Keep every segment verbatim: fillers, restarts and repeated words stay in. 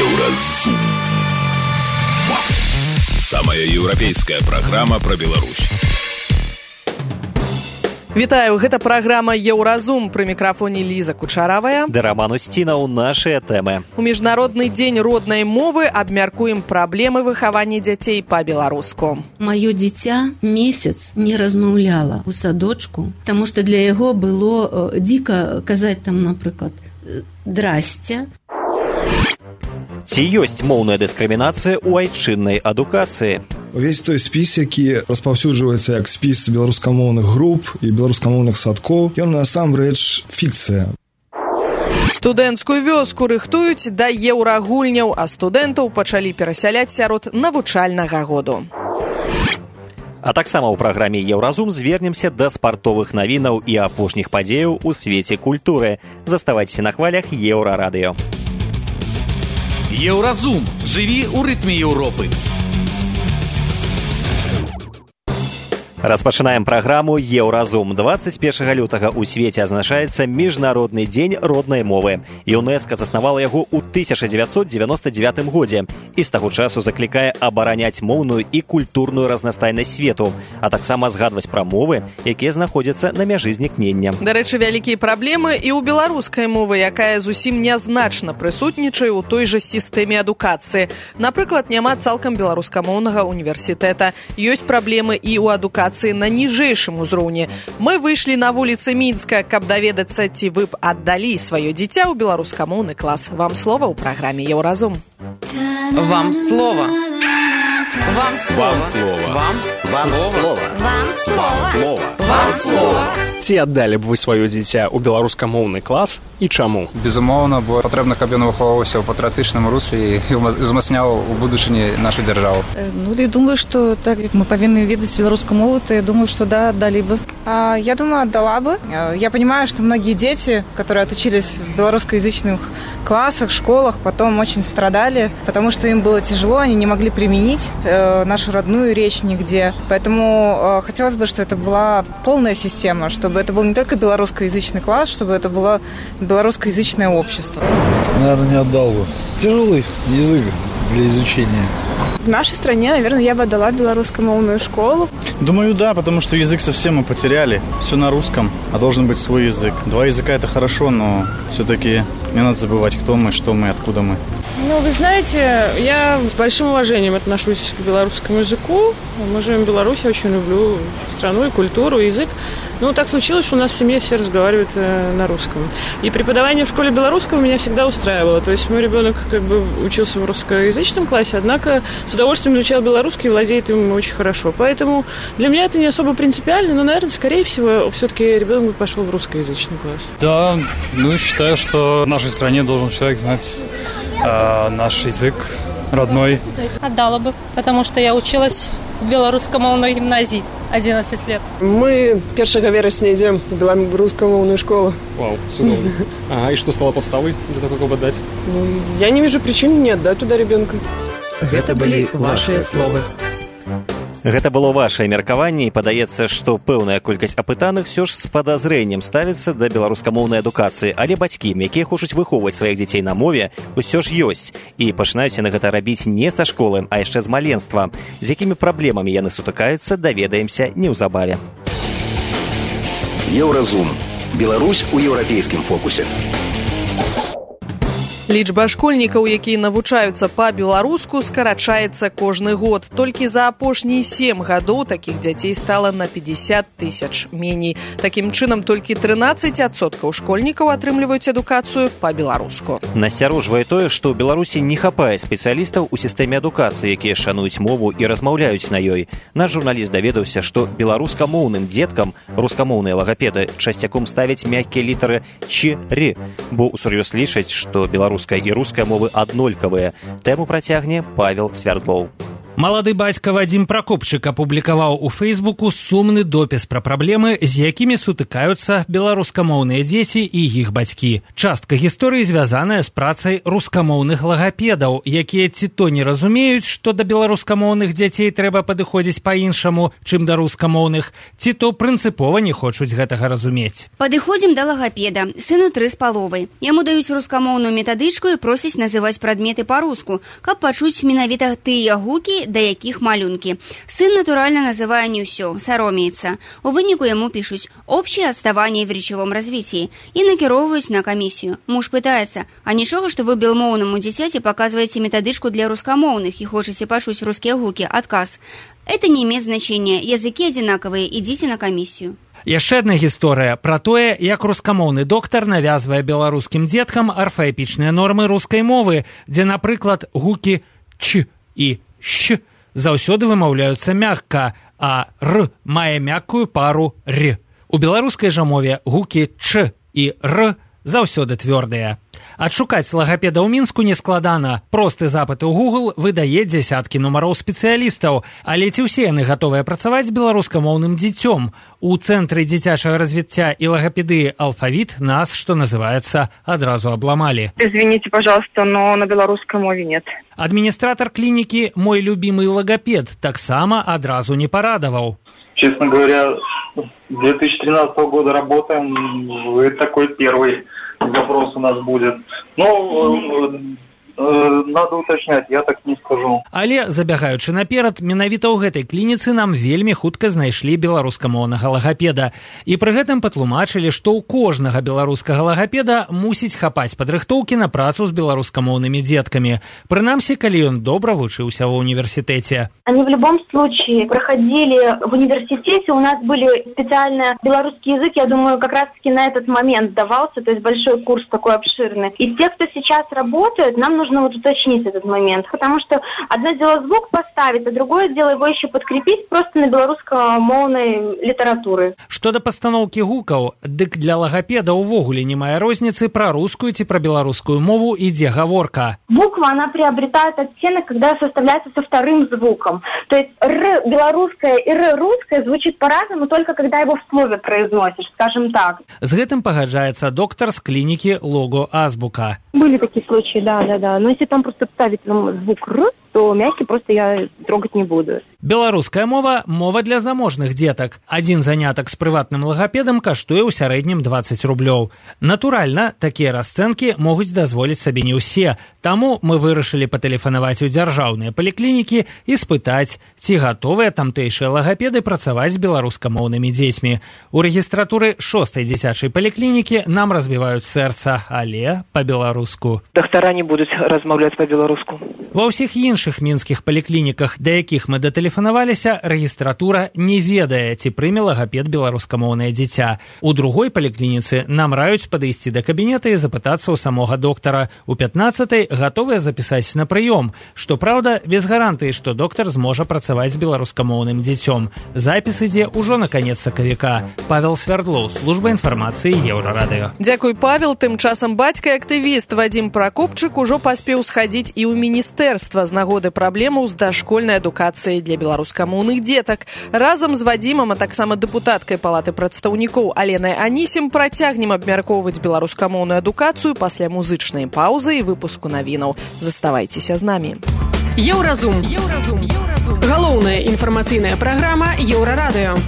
Еўразум. Самая еўрапейская праграма пра Беларусь. Вітаю, гэта праграма Еўразум. Пры мікрафоне Ліза Кучаравая. Да Роман Устінаў, нашыя тэмы. У Міжнародны дзень роднай мовы абмяркуем праблемы выхавання дзяцей па-беларуску. Маё дзіця месяц не размаўляла ў садочку, таму што для яго было дзіка казаць там, напрыклад, «здрасце». Ці ёсць моўная дыскрымінацыя ў айчыннай адукацыі? Увесь той спіс, які распаўсюджваецца як спіс беларускамоўных груп і беларускамоўных садкоў, ён насамрэч фікцыя. Студэнцкую вёску рыхтуюць да еўрагульняў, а студэнтаў пачалі перасяляць сярод навучальнага году. А таксама ў праграме Еўразум звернемся да спартовых навінаў і апошніх падзеяў у свеце культуры. Заставайцеся на хвалях Еўрарадыё. Еўразум. Жыві ў рытме Еўропы. Распачынаем праграму Еўразум. дваццаць першага лютага ў свеце адзначаецца Міжнародны дзень роднай мовы. ЮНЕСКО заснавала яго ў тысяча дзевяцьсот дзевяноста дзевятым годзе і з таго часу заклікае абараняць моўную і культурную разнастайнасць свету, а таксама згадваць пра мовы, якія знаходзяцца на мяжы знікнення. Дарэчы, вялікія праблемы і ў беларускай мовы, якая зусім нязначна прысутнічае ў той жа сістэме адукацыі. Напрыклад, няма цалкам беларускамоўнага універсітэта. Ёсць праблемы і ў адукацыі на ніжэйшым узроўні. Мы выйшлі на вуліцы Мінска, каб даведацца, ці вы б аддалі сваё дзіця ў беларускамоўны клас. Вам слова ў праграме Еўразум. Вам слова. Вам слова. Вам слова. Вам слова. Вам слова. Ці аддалі б вы сваё дзіця ў беларускамоўны клас і чаму? Безумоўна, бо патрэбна, каб ён выхоўваўся ў патрыятычным русле і узмацняў у будучыні нашу дзяржаву. Ну, я думаю, что так как мы повинны видеть белорусскую мову, то я думаю, что да, отдали бы. А, я думаю, отдала бы. Я понимаю, что многие дети, которые отучились в белорусскоязычных классах, школах, потом очень страдали, потому что им было тяжело, они не могли применить э, нашу родную речь нигде. Поэтому э, хотелось бы, чтобы это была полная система, чтобы это был не только белорусскоязычный класс, чтобы это было белорусскоязычное общество. Наверное, не отдал бы. Тяжелый язык для изучения. В нашей стране, наверное, я бы отдала белорусскомовную школу. Думаю, да, потому что язык совсем мы потеряли. Все на русском, а должен быть свой язык. Два языка – это хорошо, но все-таки не надо забывать, кто мы, что мы, откуда мы. Ну, вы знаете, я с большим уважением отношусь к белорусскому языку. Мы живем в Беларуси, я очень люблю страну и культуру, и язык. Ну, так случилось, что у нас в семье все разговаривают э, на русском. И преподавание в школе белорусского меня всегда устраивало. То есть мой ребенок как бы учился в русскоязычном классе, однако с удовольствием изучал белорусский и владеет им очень хорошо. Поэтому для меня это не особо принципиально, но, наверное, скорее всего, все-таки ребенок бы пошел в русскоязычный класс. Да, ну, считаю, что в нашей стране должен человек знать э, наш язык родной. Отдала бы, потому что я училась в белорусскомовной гимназии одиннадцать лет. Мы первого вересня идем в белорусскомовную школу. Вау, судовно. Ага, и что стало подставой для того, как отдать? Ну, я не вижу причин не отдать туда ребенка. Гэта былі вашыя словы. Гэта было вашае меркаванне, і падаецца, што пэўная колькасць апытаных ўсё ж з падазрэннем ставіцца да беларускамоўнай адукацыі, але бацькі, якія хочуць выхоўваць сваіх дзяцей на мове, усё ж ёсць, і пачынаюць яны гэта рабіць не са школы, а яшчэ з маленства. З якімі праблемамі яны сутыкаюцца, даведаемся неўзабаве. Еўразум. Беларусь у еўрапейскім фокусе. Лічба школьнікаў, якія навучаюцца па-беларуску, скарачаецца кожны год. Толькі за апошнія сем гадоў такіх дзяцей стала на пятьдесят тысяч меней. Такім чынам, толькі трынаццаць адсоткаў школьнікаў атрымліваюць адукацыю па-беларуску. Насцярожвае тое, што ў Беларусі не хапае спецыялістаў у сістэме адукацыі, якія шануюць мову і размаўляюць на ёй. Наш журналіст даведаўся, што беларускамоўным дзеткам рускамоўныя лагапеды часцяком ставяць мяккія літары «ч-ры», бо ўсур'ёз лічаць, што беларуская і руская мовы аднолькавыя. Тэму працягне Павел Свярдлоў. Малады бацька Вадзім Пракопчык апублікаваў у Фейсбуку сумны допіс пра праблемы, з якімі сутыкаюцца беларускамоўныя дзеці і іх бацькі. Частка гісторыі звязаная з працай рускамоўных лагапедаў, якія ці то не разумеюць, што да беларускамоўных дзяцей трэба падыходзіць па-іншаму, чым да рускамоўных, ці то прынцыпова не хочуць гэтага разумець. Падыходзім да лагапеда. Сыну тры з паловай. Яму даюць рускамоўную метадычку і просяць называць прадметы па-руску, каб пачуць менавіта тыя гукі, да якіх малюнкі. Сын, натуральна, называе не ўсё, саромеецца. У выніку яму пішуць «Общее отставание в речевом развитии» і накіроўваюць на камісію. Муж пытаецца, а нічога, што вы белмоўнаму дзіцяці паказваеце метадычку для рускамоўных і хочаце пачуць рускія гукі? Адказ. Это не имеет значения. Языкі адзінакавыя, ідзіце на камісію. Яшчэ адна гісторыя пра тое, як рускамоўны доктар навязвае беларускім дзеткам арфаэпічныя нормы рускай мовы, дзе, напрыклад, гукі «ч» і «щ» заўсёды вымаўляюцца мякка, а «р» мае мяккую пару «р». У беларускай жа мове гукі «ч» і «р» заўсёды твёрдыя. Адшукаць лагапеда ў Мінску нескладана. Просты запыт у Google выдае дзясяткі нумароў спецыялістаў, але ці ўсе яны гатовыя працаваць з беларускамоўным дзіцём? У Цэнтры дзіцячага развіцця і лагапедыі «Алфавіт» нас, што называецца, адразу абламалі. Извините, пожалуйста, но на беларускай мове нет. Адміністратар клінікі «Мой любимый логопед» таксама адразу не парадаваў. Честно говоря, с две тысячи тринадцатого года работаем, вы такой первый запрос у нас будет. Ну, надо уточнять, я так не скажу. Але, забягаючы наперад, менавіта ў гэтай клініцы нам вельмі хутка знайшлі беларускамоўнага лагапеда. І пры гэтым патлумачылі, што ў кожнага беларускага лагапеда мусіць хапаць падрыхтоўкі на працу з беларускамоўнымі дзеткамі. Прынамсі, калі ён добра вучыўся ва універсітэце. Они в любом случае проходили в университете, у нас были специально белорусский язык, я думаю, как раз-таки на этот момент давался, то есть большой курс такой обширный. И те, кто сейчас работает, нам нужно вот уточнить этот момент, потому что одно дело звук поставить, а другое дело его еще подкрепить просто на беларускамоўнай літаратуры. Што да пастаноўкі гукаў, дык для лагапеда ўвогуле не мае розніцы, пра рускую ці пра беларускую мову ідзе гаворка. Буква, она приобретает оттенок, когда составляется со вторым звуком. То есть «р» белорусское и «р» русское звучит по-разному, только когда его в слове произносишь, скажем так. З гэтым пагаджаецца доктор з клінікі «Лого Азбука». Были такие случаи, да, да, да. Но если там просто ставить звук «р», то мягкий просто я трогать не буду. Беларуская мова – мова для заможных дзетак. Адзін занятак з прыватным лагапедам каштуе ў сярэднім дваццаць рублёў. Натуральна, такія расцэнкі могуць дазволіць сабе не ўсе. Таму мы вырашылі патэлефанаваць у дзяржаўныя паліклінікі і спытаць, ці гатовыя тамтэйшыя лагапеды працаваць з беларускамоўнымі дзецьмі. У рэгістратуры шостай дзіцячай паліклінікі нам разбіваюць сэрца, але па-беларуску. Доктара не будуць размаўляць па-беларуску. Ва ўсіх іншых мінскіх паліклініках, да якіх мы датэлефанаваліся, рэгістратура не ведае, ці прыме лагапед беларускамоўнае дзіця. У другой паліклініцы нам раюць падысці да кабінета і запытацца ў самога доктара. У пятнаццатай гатовыя запісаць на прыём. Што праўда, без гарантыі, што доктар зможа працаваць з беларускамоўным дзіцём. Запіс ідзе ўжо на канец сакавіка. Павел Свярдлоў, служба інфармацыі Еўрарадыё. Дзякуй, Павел. Тым часам бацька і актывіст Вадзім Пракопчык ужо паспеў схадзіць і ў міністэрства з нагоды праблемаў з дашкольнай адукацыяй для беларускамоўных дзетак. Разам з Вадзімам, а таксама дэпутаткай палаты прадстаўнікоў Аленай Анісім працягнем абмяркоўваць беларускамоўную адукацыю пасля музычнай паўзы і выпуску навінаў. Заставайцеся з намі. Еўразум. Еўразум. Еўразум. Галоўная інфармацыйная праграма Еўрарадыё.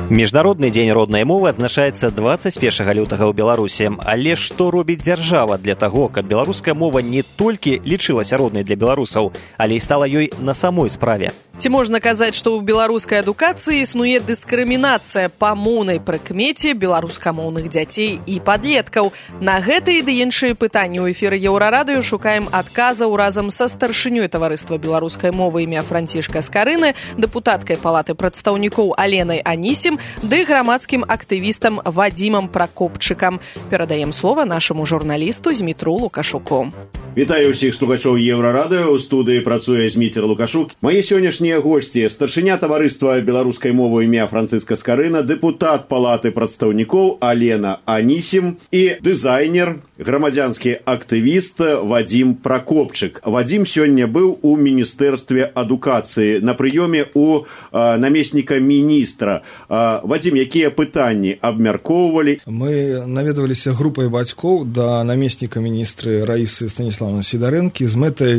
Міжнародны дзень роднай мовы адзначаецца дваццаць першага лютага ў Беларусі. Але што робіць дзяржава для таго, каб беларуская мова не толькі лічылася роднай для беларусаў, але і стала ёй на самой справе? Ці можна казаць, што ў беларускай адукацыі існуе дыскрымінацыя па моўнай прыкмеце беларускамоўных дзяцей і падлеткаў? На гэтыя ды іншыя пытанні ў эфіры Еўрарадыё шукаем адказаў разам са старшынёй таварыства беларускай мовы імя Францішка Скарыны, дэпутаткай палаты прадстаўнікоў Аленай Анісім ды грамадскім актывістам Вадзімам Пракопчыкам. Перадаем слова нашаму журналісту Змітру Лукашуку. Вітаю ўсіх слухачоў Еўрарадыё. У студыі працуе Зміцер Лукашук. Мае сённяшнія госці: старшыня таварыства беларускай мовы імя Францыска Скарына, дэпутат палаты прадстаўнікоў Алена Анісім і дызайнер, грамадзянскі актывіст Вадзім Пракопчык. Вадзім сёння быў у міністэрстве адукацыі на прыёме у а, намесніка міністра. А, Вадзім, якія пытанні абмяркоўвалі? Мы наведваліся групай бацькоў да намесніка міністры Раісы Станіславны Сідарэнкі з мэтай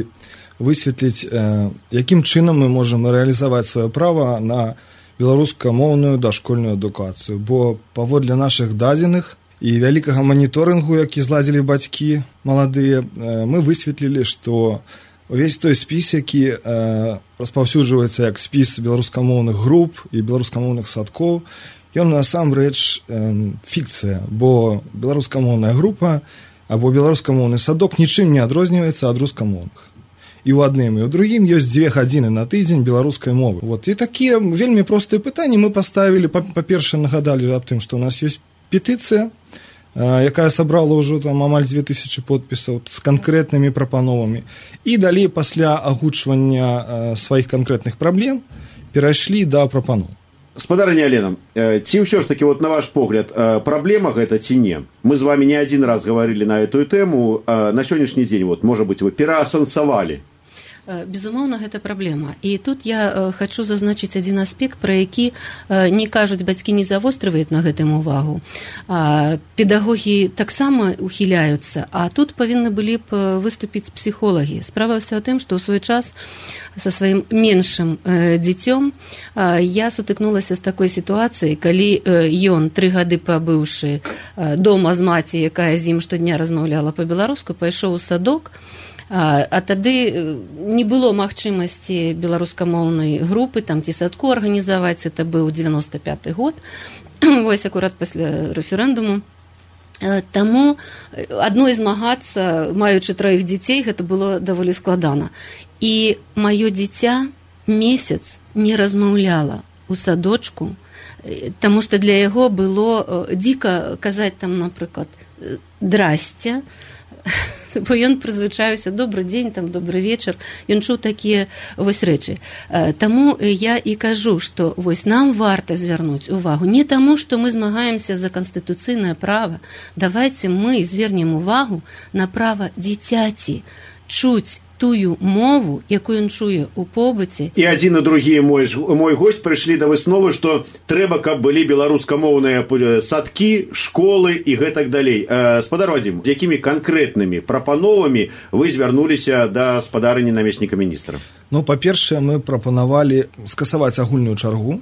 высветліць, э, якім чынам мы можам рэалізаваць сваё права на беларускамоўную дашкольную адукацыю. Бо паводле нашых дадзеных і вялікага маніторынгу, які зладзілі бацькі маладыя, э, мы высветлілі, што увесь той спіс, які э, распаўсюджваецца як спіс беларускамоўных груп і беларускамоўных садкоў, ён насамрэч э, фікцыя, бо беларускамоўная група або беларускамоўны садок нічым не адрозніваецца ад рускамоўных. І ў адным і ў другім ёсць дзве гадзіны на тыдзень беларускай мовы. Вот. І такія вельмі простыя пытанні мы паставілі. Па-першае, нагадалі аб тым, што ў нас ёсць петыцыя, якая сабрала ўжо там амаль дзве тысячы подпісаў з канкрэтнымі прапановамі. І далей пасля агучвання сваіх канкрэтных праблем перайшлі да прапаноў. Спадарыня Алена, ці ўсё ж таки, вот на ваш погляд, праблема гэта ці не? Мы з вами не один раз говорили на эту тему. На сённяшні дзень, вот, можа быць, вы пераасэнсавалі? Безумоўна, гэта праблема. І тут я хочу зазначыць адзін аспект, пра які не кажуць бацькі, не завострываюць на гэтым увагу. Педагогі таксама ухіляюцца, а тут павінны былі б выступіць псіхолагі. Справа ўсё ў тым, што ў свой час са сваім меншым дзіцём я сутыкнулася з такой сітуацыяй, калі ён, тры гады пабыўшы дома з маці, якая з ім штодня размаўляла па-беларуску, пайшоў у садок. А, а тады не было магчымасці беларускамоўнай групы там ці садку арганізаваць. Это быў дзевяносто пяты год, вось акурат пасля рэферэндуму. Таму адной змагацца, маючы траіх дзяцей, гэта было даволі складана. І маё дзіця месяц не размаўляла у садочку, таму што для яго было дзіка казаць там, напрыклад, «Здрасце», бо ён прызвычаюся «добры дзень», там «добры вечар», ён чуў такія вось рэчы. Таму я і кажу, што вось нам варта звярнуць увагу не таму, што мы змагаемся за канстытуцыйнае права. Давайце мы звернем увагу на права дзіцяці чуць тую мову, якую ён чуе ў побыце. І адзін і другі мой, мой госць прыйшлі да высновы, што трэба, каб былі беларускамоўныя садкі, школы і гэтак далей. Э, спадар Вадзім, з якімі канкрэтнымі прапановамі вы звярнуліся да спадарыні намесніка міністра? Ну, па-першае, мы прапанавалі скасаваць агульную чаргу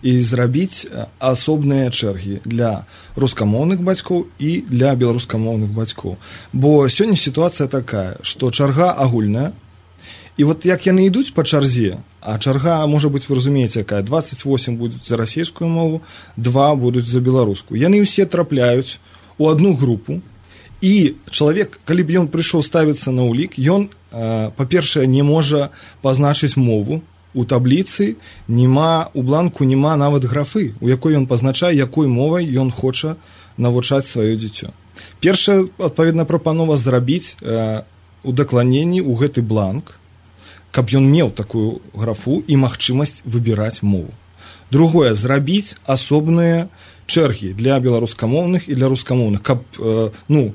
і зрабіць асобныя чэргі для рускамоўных бацькоў і для беларускамоўных бацькоў. Бо сёння сітуацыя такая, што чарга агульная, і вот як яны ідуць па чарзе, а чарга, можа быць, вы разумееце, якая, двадцать восемь будуць за расійскую мову, два будуць за беларускую. Яны ўсе трапляюць у адну групу, і чалавек, калі б ён прыйшоў ставіцца на ўлік, ён, па-першае, не можа пазначыць мову. У табліцы нема, у бланку нема нават графы, у якой ён пазначае, якой мовай ён хоча навучаць сваё дзіцё. Першая, адпаведна, прапанова зрабіць э, удакланенні ў гэты бланк, каб ён меў такую графу і магчымасць выбіраць мову. Другое, зрабіць асобныя чэргі для беларускамоўных і для рускамоўных, каб, э, ну,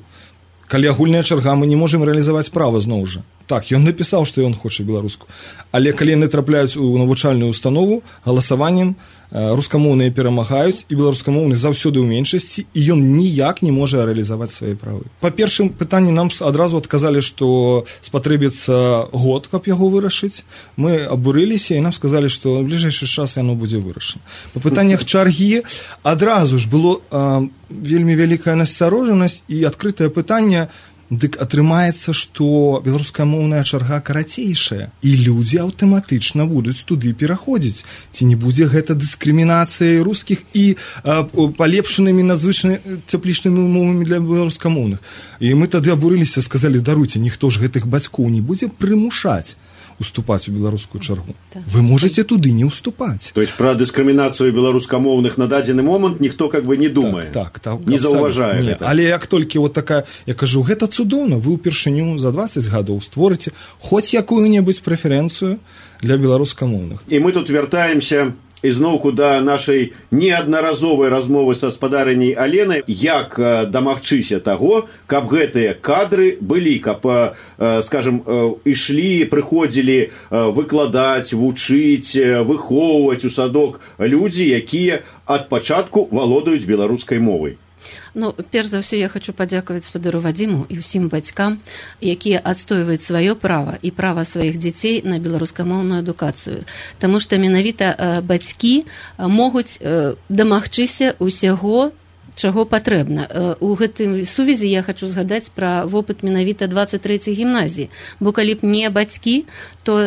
калі агульная чарга, мы не можам рэалізаваць права зноў жа. Так, ён напісаў, што ён хоча беларуску. Але калі яны трапляюць у навучальную установу, галасаваннем рускамоўныя перамагаюць, і беларускамоўны заўсёды ў меншасці, і ён ніяк не можа рэалізаваць свае правы. Па першым пытанні нам адразу адказалі, што спатрэбіцца год, каб яго вырашыць. Мы абурыліся, і нам сказалі, што ў бліжэйшы час яно будзе вырашана. Па пытаннях чаргі адразу ж было э, вельмі вялікая насцярожанасць і адкрытае пытанне. Дык атрымаецца, што беларускамоўная чарга карацейшая, і людзі аўтаматычна будуць туды пераходзіць. Ці не будзе гэта дыскрымінацыяй рускіх і а, палепшанымі надзвычай цяплічнымі умовамі для беларускамоўных. І мы тады абурыліся, сказалі, даруйце, ніхто ж гэтых бацькоў не будзе прымушаць уступаць у беларускую чаргу. Так. Вы можете туды не уступаць. То есть про дыскрымінацыю беларускамоўных на дадзены момант ніхто как бы не думае, так, так, так, не заўважае не, але як толькі вот такая, я кажу, гэта цудоўна, вы ўпершыню за дваццаць гадоў створыце хоць якую-небудзь прэферэнцыю для беларускамоўных. І мы тут вяртаемся ізноўку да нашай неаднаразовай размовы са спадарыняй Аленай, як дамагчыся таго, каб гэтыя кадры былі, каб, скажем, ішлі, прыходзілі выкладаць, вучыць, выхоўваць у садок людзі, якія ад пачатку валодаюць беларускай мовай. Ну, перш за ўсё я хочу падзякаваць спадару Вадзіму і ўсім бацькам, якія адстойваюць сваё права і права сваіх дзяцей на беларускамоўную адукацыю. Таму што менавіта бацькі могуць дамагчыся ўсяго, чаго патрэбна. У гэтай сувязі я хочу згадаць пра вопыт менавіта дваццаць трэцяй гімназіі, бо калі б не бацькі, то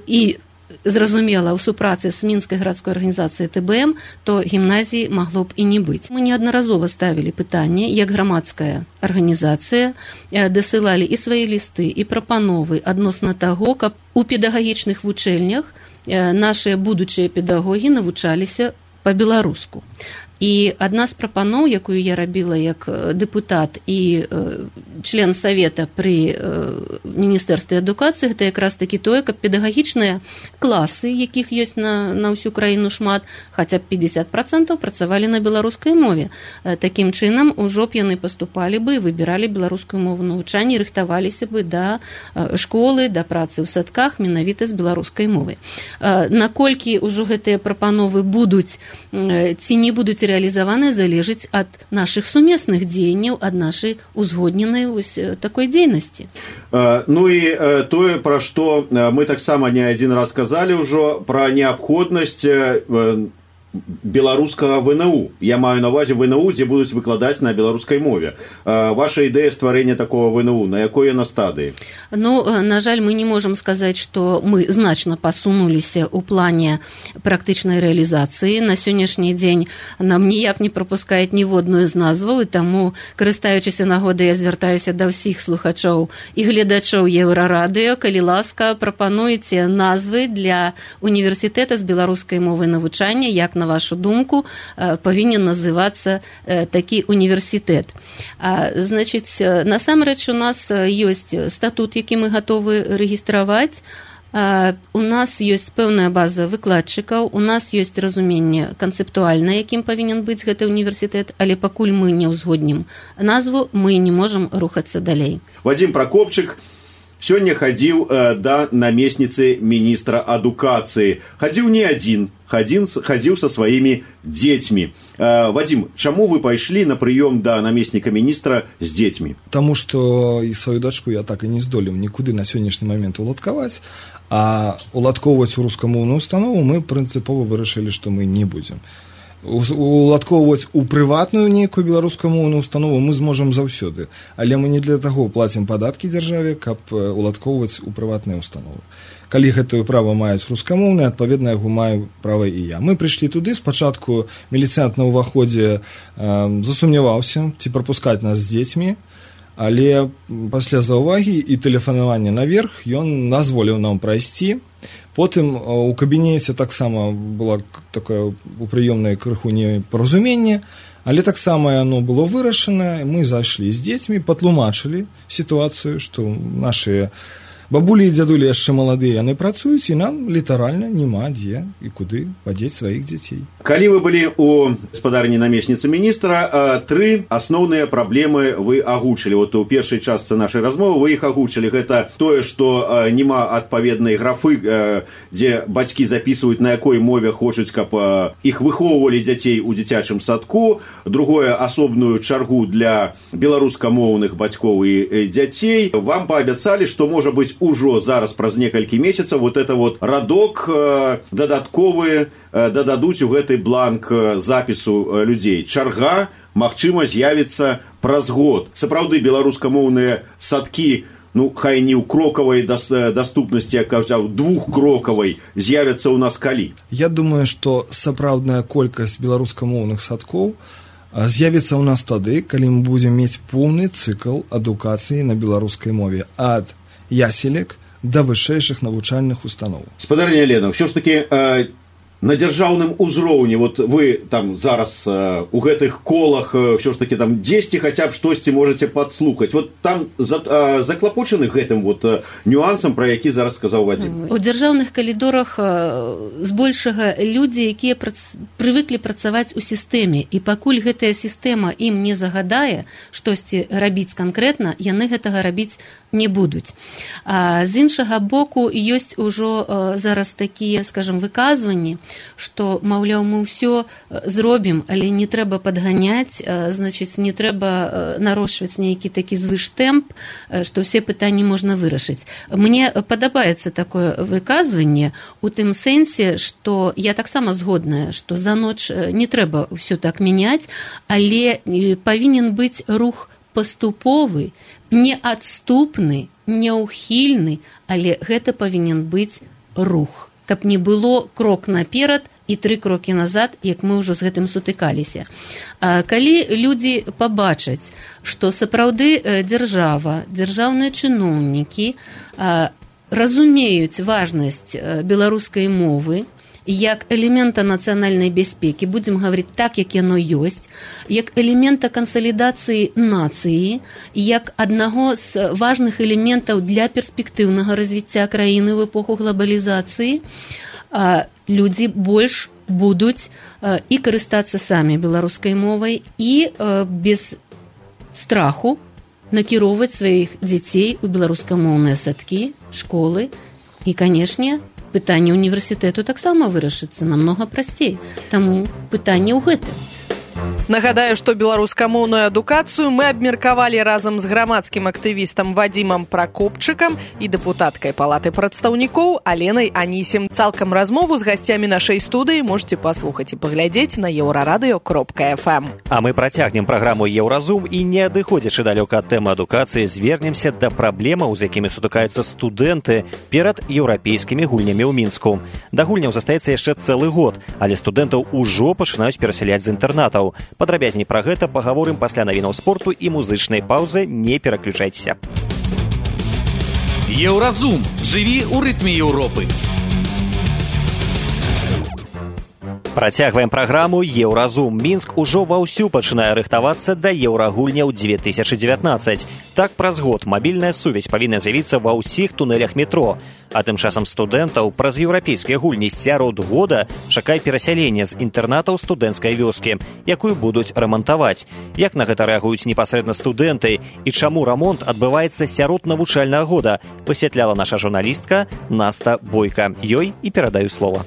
і зразумела, у супрацы з мінскай гарадской арганізацыяй Тэ Бэ Эм, то гімназіі магло б і не быць. Мы неаднаразова ставілі пытанне, як грамадская арганізацыя дасылалі і свае лісты, і прапановы адносна таго, каб у педагагічных вучэльнях нашыя будучыя педагогі навучаліся па-беларуску. І адна з прапаноў, якую я рабіла як дэпутат і член савета пры міністэрстве адукацыі, гэта якраз такі тое, каб педагагічныя класы, якіх ёсць на, на ўсю краіну шмат, хаця б пятьдесят процентов працавалі на беларускай мове. Такім чынам ужо б яны паступалі бы і выбіралі беларускую мову навучання і рыхтаваліся бы да школы, да працы ў садках менавіта з беларускай мовай. Наколькі ўжо гэтыя прапановы будуць ці не будуць реализованы, залежыць ад наших сумесных дзеянняў, ад нашай узгодненай вось такой дзейнасці. Ну і тое, пра што мы таксама не адзін раз казалі ўжо, пра неабходнасць беларускага вэ эн у. Я маю на ўвазе вэ эн у, дзе будуць выкладаць на беларускай мове. Ваша ідэя стварэння такого вэ эн у, на якой на стадыі? Ну, на жаль, мы не можам сказаць, што мы значна пасунуліся ў плане практычнай рэалізацыі. На сённяшні дзень нам ніяк не прапускаюць ніводную з назваў, і таму, карыстаючыся нагодай, я звяртаюся да ўсіх слухачоў і гледачоў Еўрарадыё. Калі ласка, прапануйце назвы для універсітэта з беларускай мовы навучання, як на вашу думку, павінен называцца такі універсітэт. Значыць, насамрэч у нас ёсць статут, які мы гатовы рэгістраваць. У нас ёсць пэўная база выкладчыкаў, у нас ёсць разуменне канцэптуальна, якім павінен быць гэты універсітэт, але пакуль мы не ўзгоднім назву, мы не можам рухацца далей. Вадзім Пракопчык сёння хадзіў э, да намесніцы міністра адукацыі. Хадзіў не адзін, хадзін, хадзіў са сваімі дзецьмі. Э, Вадзім, чаму вы пайшлі на прыём да намесніка міністра з дзецьмі? Таму што і сваю дачку я так і не здолеў нікуды на сённяшні момент уладкаваць, а уладкоўваць у рускамоўную установу мы прынцыпова вырашылі, што мы не будзем. Уладкоўваць у прыватную нейкую беларускамоўную установу мы зможам заўсёды, але мы не для таго плацім падаткі дзяржаве, каб уладкоўваць у прыватныя установы. Калі гэтае права маюць рускамоўныя, адпаведна яго маю права і я. Мы прыйшлі туды, спачатку міліцыянт на ўваходзе э, засумняваўся, ці прапускаць нас з дзецьмі, але пасля заўвагі і тэлефанавання наверх ён дазволіў нам прайсці. Потым у кабінеце таксама было такое у прыёмнай крыху непаразуменне, але таксама яно было вырашана, мы зайшлі з дзецьмі, патлумачылі сітуацыю, што нашыя бабулі і дзядулі яшчэ маладыя, яны працуюць, і нам літаральна няма дзе і куды падзець сваіх дзяцей. Калі вы былі у гаспадарні намесніцы міністра, тры асноўныя праблемы вы агучылі. Вот у першай частцы нашай размовы вы іх агучылі. Гэта тое, што няма адпаведнай графы, дзе бацькі запісваюць, на якой мове хочуць, каб іх выхоўвалі дзяцей у дзіцячым садку. Другое, асобную чаргу для беларускамоўных бацькоў і дзяцей. Вам паабяцалі, што можа быць ужо зараз праз некалькі месяцаў вот это вот радок дадатковы дададуць у гэты бланк запісу людзей. Чарга, магчыма, з'явіцца праз год. Сапраўды беларускамоўныя садкі, ну, хай не ў крокавай даступнасці, як казаў, двухкрокавай, з'явяцца ў нас калі? Я думаю, што сапраўдная колькасць беларускамоўных садкоў з'явіцца ў нас тады, калі мы будзем мець поўны цыкл адукацыі на беларускай мове ад яселек да вышэйшых навучальных устаноў. Спадарня Лена, ўсё ж такі э, на дзяржаўным узроўні, вот вы там зараз э, у гэтых колах э, ўсё ж такі там дзесьці хаця б штосьці можаце падслухаць. Вот там за, э, заклапочаны гэтым вот э, нюансам, пра які зараз сказаў Вадзім. У дзяржаўных калідорах збольшага людзі, якія прац... прывыклі працаваць у сістэме, і пакуль гэтая сістэма ім не загадае штосьці рабіць канкрэтна, яны гэтага рабіць не будуць. А з іншага боку, ёсць ужо зараз такія, скажам, выказванні, што, маўляў, мы ўсё зробім, але не трэба падганяць, значыць, не трэба нарошчваць нейкі такі звыштэмп, што ўсе пытанні можна вырашыць. Мне падабаецца такое выказванне у тым сэнсе, што я таксама згодная, што за ноч не трэба ўсё так мяняць, але павінен быць рух паступовы, неадступны, няўхільны, але гэта павінен быць рух, каб не было крок наперад і тры крокі назад, як мы ўжо з гэтым сутыкаліся. Калі людзі пабачаць, што сапраўды дзяржава, дзяржаўныя чыноўнікі разумеюць важнасць беларускай мовы, як элемента нацыянальнай бяспекі, будзем гаварыць так, як яно ёсць, як элемента кансалідацыі нацыі, як аднаго з важных элементаў для перспектыўнага развіцця краіны ў эпоху глобалізацыі, людзі больш будуць і карыстацца самі беларускай мовай і без страху накіроўваць сваіх дзяцей у беларускамоўныя садкі, школы і, канешне, пытанне універсітэту таксама вырашыцца намнога прасцей. Таму пытанне ў гэтым. Нагадаю, што беларускамоўную адукацыю мы абмеркавалі разам з грамадскім актывістам Вадзімам Пракопчыкам і дэпутаткай палаты прадстаўнікоў Аленай Анісім. Цалкам размову з гасцямі нашай студыі можете паслухаць і паглядзець на еўрарадыё кропка эф эм. А мы працягнем праграму «Еўразум» і, не адыходзячы далёка ад тэмы адукацыі, звернемся да праблемаў, з якімі сутыкаюцца студэнты перад еўрапейскімі гульнямі ў Мінску. Да гульняў застаецца яшчэ цэлы год, але студэнтаў ужо пачынаюць перасяляць з інтэрнатаў. Падрабязней пра гэта пагаворым пасля навінаў спорту і музычнай паўзы. Не пераключайцеся. Еўразум. Жыві ў рытме Еўропы. Працягваем праграму «Еўразум». Мінск ужо ваўсю пачынае рыхтавацца да еўрагульняў две тысячы дзевятнаццаць. Так, праз год мабільная сувязь павінна з'явіцца ва ўсіх тунэлях метро. А тым часам студэнтаў праз еўрапейскія гульні сярод года чакае перасяленне з інтэрнатаў студэнцкай вёскі, якую будуць рамантаваць. Як на гэта рэагуюць непасрэдна студэнты і чаму рамонт адбываецца сярод навучальнага года, высвятляла наша журналістка Наста Бойка. Ёй і перадаю слова.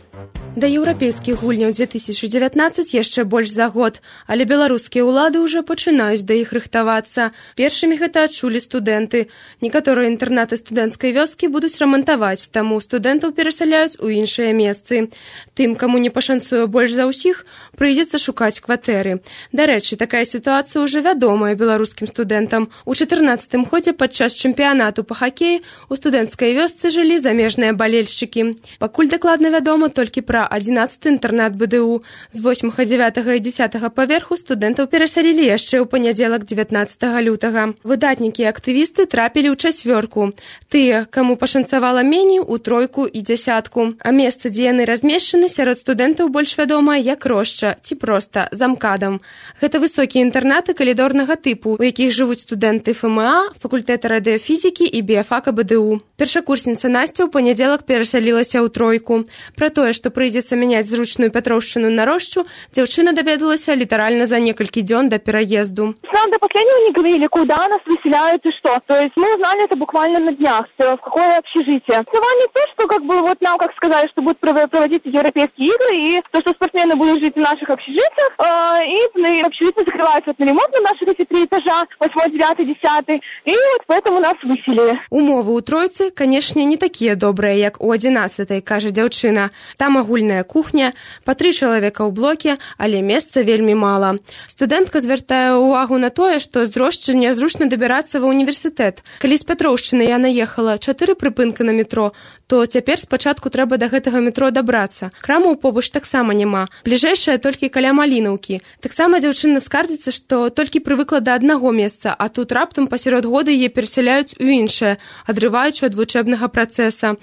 Да еўрапейскіх гульняў две тысячы дзевятнаццаць яшчэ больш за год, але беларускія ўлады ўжо пачынаюць да іх рыхтавацца. Першымі гэта адчулі студэнты. Некаторыя інтэрнаты студэнцкай вёскі будуць рамантаваць, таму студэнтаў перасяляюць у іншыя месцы. Тым, каму не пашанцуе больш за ўсіх, прыйдзецца шукаць кватэры. Дарэчы, такая сітуацыя ўжо вядомая беларускім студэнтам. У чатырнаццатым годзе падчас чэмпіянату па хакеі у студэнцкай вёсцы жылі замежныя балельшчыкі. Пакуль дакладна вядома толькі пра адзінаццаты інтэрнат бэ дэ у. З восьмага, дзявятага і дзесятага паверху студэнтаў перасялілі яшчэ ў панядзелак дзевятнаццатага лютага. Выдатнікі і актывісты трапілі ў чацвёрку. Тыя, каму пашанцавала меней, у тройку і дзясятку. А месца, дзе яны размешчаны, сярод студэнтаў больш вядомае як Рошча ці проста замкадам. Гэта высокія інтэрнаты калідорнага тыпу, у якіх жывуць студэнты эф эм а, факультэта радыёфізікі і біяфака бэ дэ у. Першакурсніца Насця ў панядзелак перасялілася ў тройку. Пра тое, што прыйдзецца мяняць зручную Петровшчыну на Рощу, дзяўчына даведалася літаральна за некалькі дзён до переезду. Нам до последнего не говорили, куда нас выселяют и что. То есть мы узнали это буквально на днях, в какое общежитие. Слова не то, что как бы вот нам как сказали, что будут проводиться европейские игры, и то, что спортсмены будут жить в наших общежитиях, и общежитие закрывается вот на ремонт на наших эти три этажа, восьмой, девятый, десятый, и вот поэтому нас выселили. Умовы у тройцы, конечно, не такія добрыя, як у адзінаццатай, кажа дзяўчына. Там агульная агульная кухня, па тры чалавека ў блоке, але месца вельмі мала. Студэнтка звяртае ўвагу на тое, што з Дрожджы нязручна дабірацца ва універсітэт. Калі з Пятроўшчыны я наехала чатыры прыпынка на метро, то цяпер спачатку трэба да гэтага метро дабрацца. Крамаў побач таксама няма. Бліжэйшая толькі каля Малінаўкі. Таксама дзяўчына скардзіцца, што толькі прывыкла да аднаго месца, а тут раптам пасярод года яе перасяляюць у іншае, адрываючы ад вучэбнага працэса.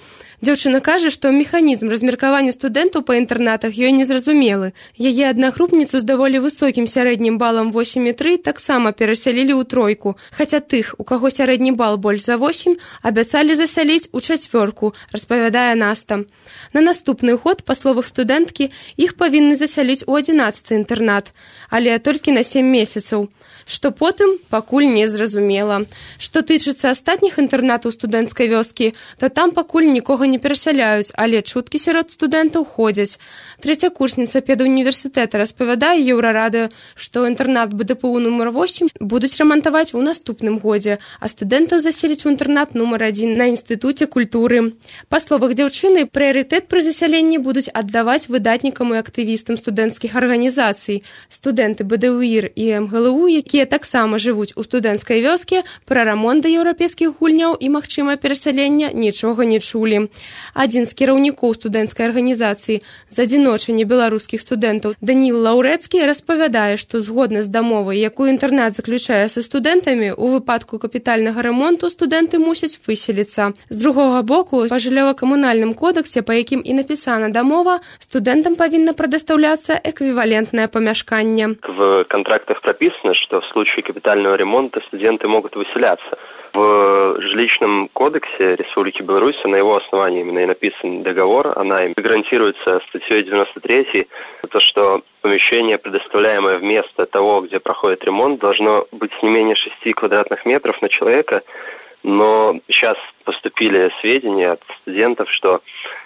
Дзяўчына кажа, што механізм размеркавання студэнтаў па інтэрнатах ёй незразумелы. Яе аднагрупніцу з даволі высокім сярэднім балам восем і тры таксама перасялілі ў тройку, хаця тых, у каго сярэдні бал больш за восем, абяцалі засяліць у чацвёрку, распавядае Наста. На наступны год, па словах студэнткі, іх павінны засяліць у адзінаццаты інтэрнат, але толькі на сем месяцаў. Што потым, пакуль не зразумела. Што тычыцца астатніх інтэрнатаў студэнцкай вёскі, то там пакуль нікога не перасяляюць, але чуткі сярод студэнтаў ходзяць. Трэцякурсніца педуніверсітэта распавядае Еўрарадыё, што інтэрнат БДПУ нумар восем будуць рамантаваць у наступным годзе, а студэнтаў заселіць у інтэрнат нумар адзін на інстытуце культуры. Па словах дзяўчыны, прыярытэт пры засяленні будуць аддаваць выдатнікам і актывістам студэнцкіх арганізацый. Студэнты БДУІР і МГЛУ, якія таксама жывуць у студэнцкай вёске, пра рамонт да еўрапейскіх гульняў і магчымае перасялення нічога не чулі. Адзін з кіраўнікоў студэнцкай арганізацыі з адзіночання беларускіх студэнтаў Даніл Лаўрэцкі распавядае, што згодна з дамовай, якую інтэрнат заключае са студэнтамі, у выпадку капітальнага рамонту студэнты мусяць выселіцца. З другога боку, па жыллёва-камунальным кодексе, па якім і напісана дамова, студэнтам павінна прадастаўляцца эквівалентнае памяшканне. В контрактах прописано, что в случае капитального ремонта студенты могут выселяться. В жилищном кодексе Республики Беларусь, на его основании именно и написан договор, она им гарантируется статьей девяносто третьей, то, что помещение, предоставляемое вместо того, где проходит ремонт, должно быть не менее шести квадратных метров на человека, но сейчас поступили сведения от студентов, что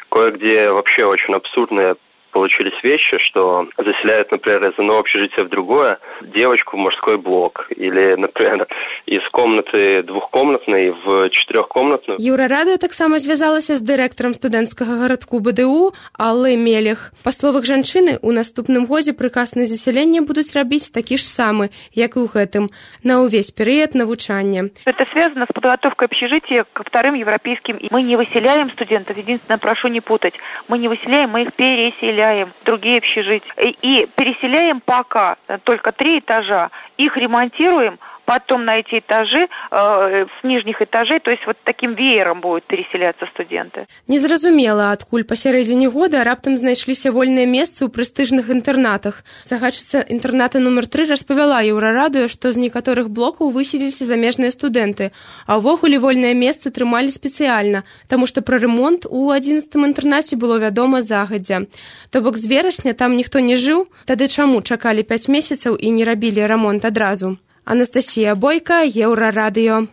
кое-где вообще очень абсурдные получились вещи, что заселяют, например, из одного общежития в другое девочку в мужской блок. Или, например, из комнаты двухкомнатной в четырехкомнатную. Еўрарадыё таксама звязалася з дырэктарам студэнцкага гарадку БДУ Аллай Мелех. Па словах жанчыны, у наступным годзе прыказ на засяленне будуць рабіць такі ж самы, як і ў гэтым, на ўвесь перыяд навучання. Это связано с подготовкой общежития ко вторым европейским. Мы не выселяем студентов, единственное, прошу не путать, мы не выселяем, мы их переселяем. Другие общежития. И переселяем пока только три этажа. Их ремонтируем, потом на эти этажи, э, с нижних этажей, то есть вот таким веером будут переселяться студенты. Незразумела, адкуль пасярэдзіне года раптам знайшліся вольныя месцы ў прэстыжных інтэрнатах. Загадчыца інтэрната нумар тры распавяла Еўрарадыё, што з некаторых блокаў выселіліся замежныя студэнты, а ўвогуле вольнае месца трымалі спецыяльна, таму што пра ремонт у адзінаццатым інтэрнаце было вядома загадзя. То бок з верасня там ніхто не жыў, тады чаму чакалі пяць месяцаў і не рабілі рамонт адразу? Анастасія Бойка, Еўрарадыё.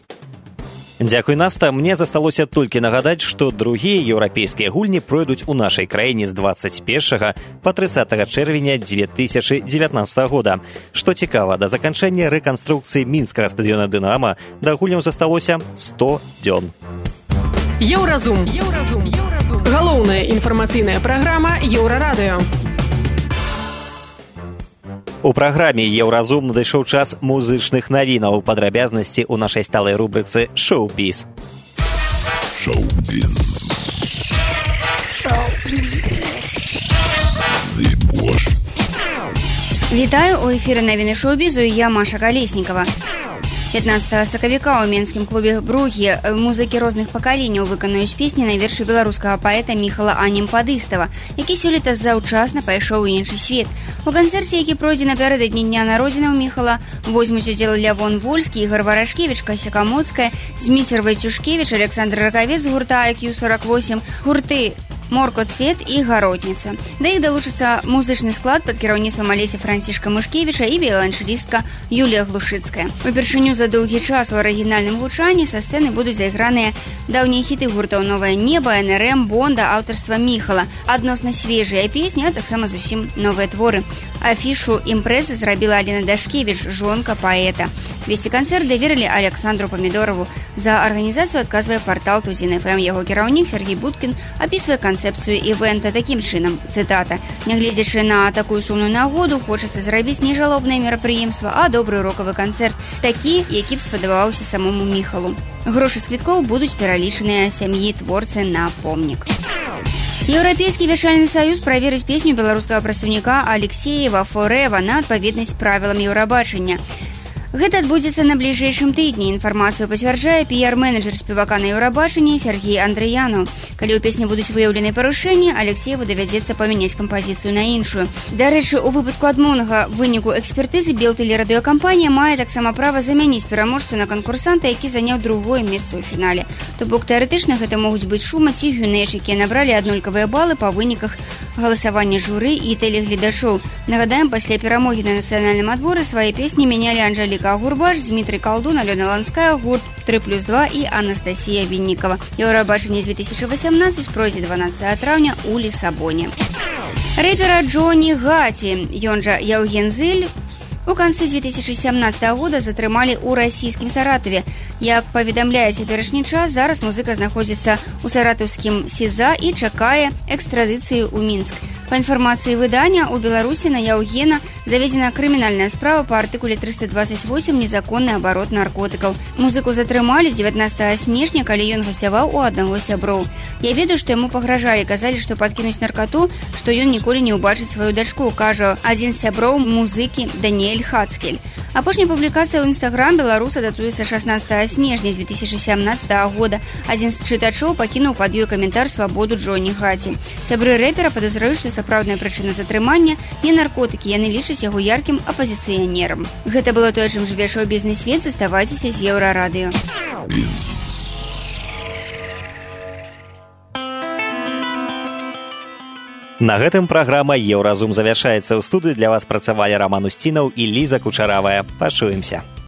Дзякуй, Наста. Мне засталося толькі нагадаць, што другія еўрапейскія гульні пройдуць у нашай краіне з дваццаць першага па трыццатага чэрвеня дзве тысячы дзевятнаццатага года. Што цікава, да заканчэння рэканструкцыі мінскага стадыёна «Дынама» да гульняў засталося сто дзён. Еўразум. Еўразум. Еўразум. Галоўная інфармацыйная праграма Еўрарадыё. У праграме «Еўразум» надышоў час музычных навінаў, падрабязнасці ў нашай сталай рубрыцы «Шоу-біз». Шоу-біз. Шоу-біз. Вітаю, у эфіры навіны шоу-бізу, я Маша Калеснікава. пятнадцатага сакавіка ў менскім клубе «Бругі» музыкі розных пакаленняў выканаюць песні на вершы беларускага паэта Міхала Анемпадыстава, які сёлета заўчасна пайшоў у іншы свет. У канцэрце, які пройдзе напярэдадні дня народзінаў Міхала, возьмуць удзел Лявон Вольскі, Ігор Варашкевіч, Кася Камоцкая, Зміцер Вайцюшкевіч, Александр Ракавец з гурта ай кью сорок восемь, гурты Морко Цвет і Гаротніца. Да іх далучыцца музычны склад пад кіраўніцтвам Алеся Францішка Мышкевіча і віяланчэлістка Юлія Глушыцкая. Упершыню за доўгі час у арыгінальным гучанні са сцэны будуць зайграныя даўнія хіты гуртаў «Новае неба», эн эр эм, «Бонда» аўтарства Міхала. Адносна свежыя песні, а таксама зусім новыя творы. Афішу імпрэзы зрабіла Алена Дашкевіч, жонка паэта. Весці канцэрт даверылі Александру Памідорову. За арганізацыю адказвае партал Тузін эф эм. Яго кіраўнік Сергей Будкін апісвае канцэпцыю івэнта такім чынам. Цытата. Нягледзячы на такую сумную нагоду, хочацца зрабіць не жалобнае мерапрыемства, а добры рокавы канцэрт, такі, які б спадабаўся самому Міхалу. Грошы з квіткоў будуць пералічаныя сям'і творцы на помнік. Еўрапейскі вяшальны саюз праверыць песню беларускага прадстаўніка Алексеева «Форэва» на адпаведнасць правілам Еўрабачання. Гэта адбудзецца на бліжэйшым тыдні. Інфармацыю пацвярджае піяр-менеджер спевака на Еўрабачанні Сергей Андрэяну. Калі ў песні будуць выяўлены парушэнні, Алексееву давядзецца памяняць кампазіцыю на іншую. Дарэчы, у выпадку адмоўнага выніку экспертызы Белтэлерадыёкампанія мае таксама права замяніць пераможцу на канкурсанта, які заняў другое месца ў фінале. То бок тэарэтычна гэта могуць быць Шума ці Гюнеш, якія набралі аднолькавыя балы па выніках галасавання журы і тэлегледачоў. Нагадаем, пасля перамогі на нацыянальным адборы свае песні мянялі Анжэліка Гурбаш, Дмітрый Калдун, Алёна Ланская, гурт тры плюс два і Анастасія Віннікава. Еўрабачанне две тысячи восемнадцать пройдзе дванадцатага траўня ў Лісабоне. Рэпера Джоні Гаці, ён жа Яўген Зыль, у канцы две тысячи семнадцатого года затрымалі ў расійскім Саратаве. Як паведамляе цяперашні час, зараз музыка знаходзіцца ў саратаўскім СІЗА і чакае экстрадыцыі ў Мінск. Па інфармацыі выдання, у Беларусі на Яўгена заведзена крымінальная справа па артыкуле триста двадцать восемь «Незаконны абарот наркотыкаў». Музыку затрымалі дзевятнадцатага снежня, калі ён гасцяваў у аднаго сяброў. Я ведаю, што яму пагражалі, казалі, што падкінуць наркату, што ён ніколі не ўбачыць сваю дачку, кажа адзін з сяброў музыкі Даніэль Хацкель. Апошняя публікацыя ў Інстаграм беларуса датуецца шаснаццатага снежня две тысячи семнадцатого года. Адзін з чытачоў пакінуў пад ёй каментар свабоду Джоні Гаці. Сябры рэпера падазраюць, што сапраўдная прычына затрымання не наркотыкі, яны лічаць яго яркім апазіцыянерам. Гэта было тое, чым жыве шоу-бізнес-свет. Заставайцеся з Еўрарадыё. На гэтым праграма «Еўразум» завяршаецца. ў студыі для вас працавалі Раман Усцінаў і Ліза Кучаравая. Пачуемся.